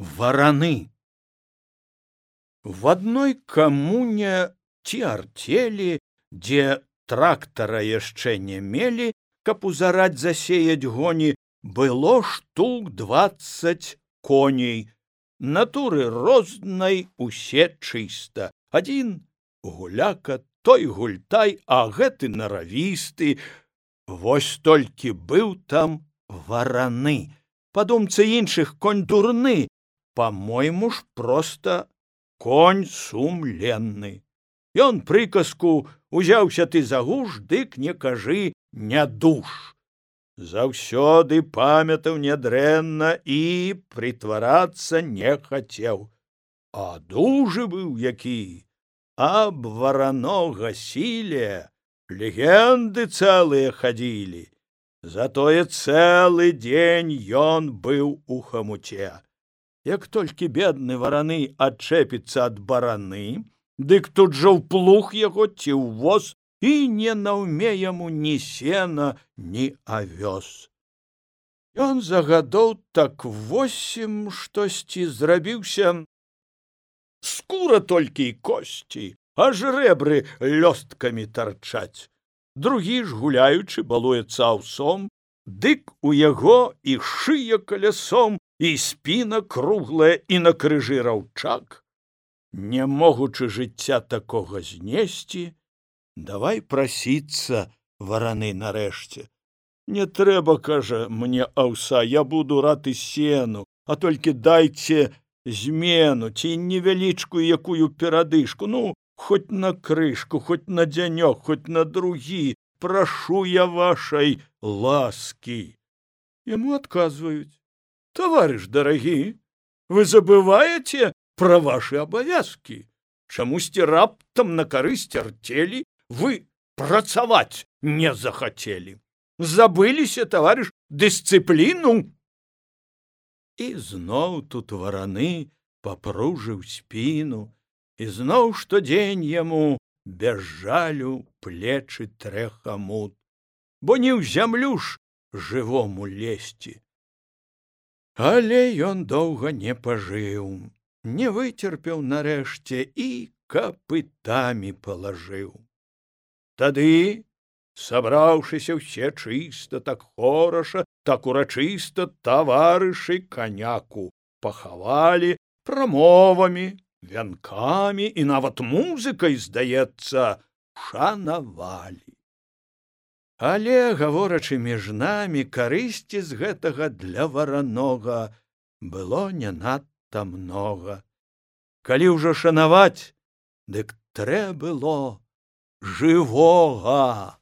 Вараны. В адной камуне ці артелі, дзе трактара яшчэ не мелі, каб узараць засеяць гоні, было штук 20 коней. Натуры рознай усе чыста. Адзін гуляка, той гультай, а гэты наравісты. Вось толькі быў там вараны. Па думцы іншых, конь дурны, по-мойму ж проста конь сумленны. Ён прыказку: узяўся ты за гуш, дык не кажы не душ. Заўсёды памятаў нядрэнна і прытварацца не хацеў. А дужы быў які, аб варанога сіле легенды цэлыя хадзілі. Затое цэлы дзень ён быў у хамуце. Як толькі бедны вараны адчэпіцца ад бараны, дык тут жа ў плуг яго ці ў воз, і не наўме яму ні сена, ні авёс. Ён за гадоў так 8 штосьці зрабіўся, скура толькі і косці, аж рэбры лёсткамі тарчаць. Другі ж, гуляючы, балуецца аўсом, дык у яго і шыя калясом, і спіна круглая, і на крыжы раўчак. Не могучы жыцця такога знесці, давай прасіцца вараны нарэшце. Не трэба, кажа, мне аўса, я буду рад і сену, а толькі дайце змену ці невялічкую якую перадышку, ну, хоть на крышку, хоть на дзянёк, хоть на другі, прашу я вашай ласкі. Яму адказваюць: товарищ дорогі, вы забываете про ваши обовязки. Чамусьці раптам на карысць артелі вы працаваць не захацелі. Забыліся, товарищ, дысцыпліну. І зноў тут вараны папружыў спіну, і зноў штодзень яму без жалю плечы трэ хамут, бо не ў зямлю ж жывому лезці. Але ён доўга не пажыў, не выцерпеў нарэшце і капытамі палажыў. Тады, сабраўшыся ўсе чыста, так хораша, так урачыста, таварышы каняку пахавалі, прамовамі, вянкамі і нават музыкай, здаецца, шанавалі. Але, гаворачы між намі, карысці з гэтага для варанога было не надта многа. Калі ўжо шанаваць, дык трэ было жывога.